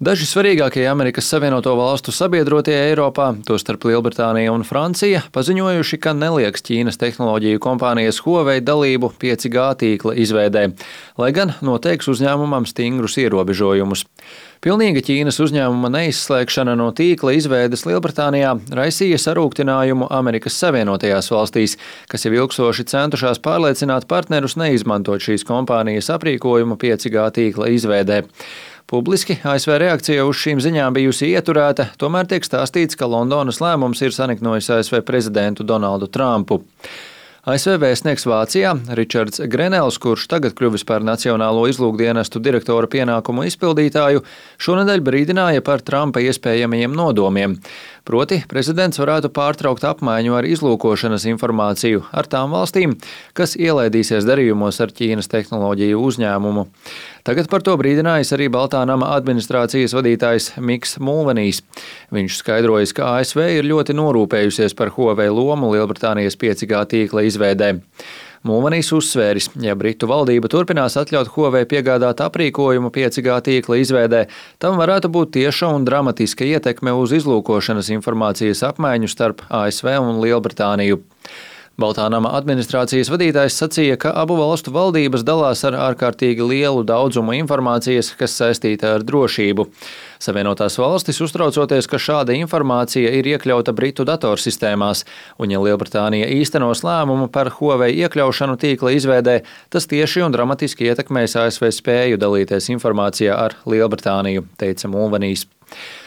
Daži svarīgākie Amerikas Savienoto Valstu sabiedrotie Eiropā, tostarp Lielbritānija un Francija, paziņojuši, ka nelieks Ķīnas tehnoloģiju kompānijas Huawei dalību 5G tīkla izveidē, lai gan noteiks uzņēmumam stingrus ierobežojumus. Pilnīga Ķīnas uzņēmuma neizslēgšana no tīkla izveides Lielbritānijā raisīja sarūktinājumu Amerikas Savienotajās valstīs, kas jau ilgstoši centušās pārliecināt partnerus neizmantot šīs kompānijas aprīkojumu 5G tīkla izveidē. Publiski ASV reakcija uz šīm ziņām bijusi ieturēta, tomēr tiek stāstīts, ka Londonas lēmums ir saniknojis ASV prezidentu Donaldu Trumpu. ASV vēstnieks Vācijā Ričards Grenels, kurš tagad kļuvis par Nacionālo izlūkdienestu direktora pienākumu izpildītāju, šonedēļ brīdināja par Trumpa iespējamajiem nodomiem. Proti, prezidents varētu pārtraukt apmaiņu ar izlūkošanas informāciju ar tām valstīm, kas ielaidīsies darījumos ar Ķīnas tehnoloģiju uzņēmumu. Tagad par to brīdinājis arī Baltā nama administrācijas vadītājs Miks Mulvanijs. Viņš skaidrojas, ka ASV ir ļoti norūpējusies par Huawei lomu Lielbritānijas 5G tīkla izveidē. Mulvanijs uzsvēris, ja Britu valdība turpinās atļaut Huawei piegādāt aprīkojumu 5G tīkla izveidē, tam varētu būt tieša un dramatiska ietekme uz izlūkošanas informācijas apmaiņu starp ASV un Lielbritāniju. Baltā nama administrācijas vadītājs sacīja, ka abu valstu valdības dalās ar ārkārtīgi lielu daudzumu informācijas, kas saistīta ar drošību. Savienotās valstis uztraucoties, ka šāda informācija ir iekļauta Britu datorsistēmās, un ja Lielbritānija īstenos lēmumu par Huawei iekļaušanu tīkla izveidē, tas tieši un dramatiski ietekmēs ASV spēju dalīties informācijā ar Lielbritāniju, teica Mulvanijs.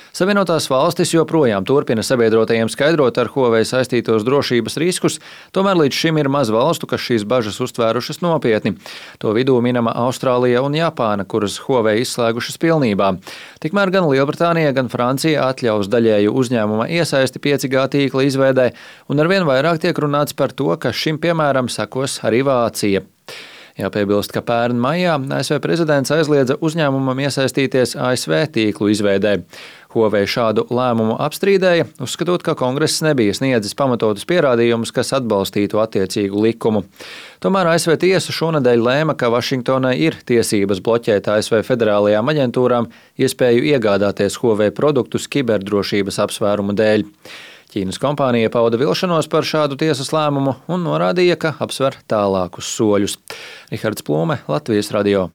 Savienotās valstis joprojām turpina sabiedrotajiem skaidrot ar Huawei saistītos drošības riskus, tomēr līdz šim ir maz valstu, kas šīs bažas uztvērušas nopietni. To vidū minama Austrālija un Japāna, kuras Huawei izslēgušas pilnībā. Tikmēr gan Lielbritānija, gan Francija atļaus daļēju uzņēmuma iesaisti 5G tīkla izveidē, un arvien vairāk tiek runāts par to, ka šim piemēram sekos arī Vācija. Jāpiebilst, ka pērn maijā ASV prezidents aizliedza uzņēmumam iesaistīties ASV tīklu izveidē. Huawei šādu lēmumu apstrīdēja, uzskatot, ka Kongress nebija sniedzis pamatotus pierādījumus, kas atbalstītu attiecīgu likumu. Tomēr ASV tiesa šonedēļ lēma, ka Vašingtonai ir tiesības bloķēt ASV federālajām aģentūrām iespēju iegādāties Huawei produktus kiberdrošības apsvērumu dēļ. Ķīnas kompānija pauda vilšanos par šādu tiesas lēmumu un norādīja, ka apsver tālākus soļus. Rihards Plūme, Latvijas radio.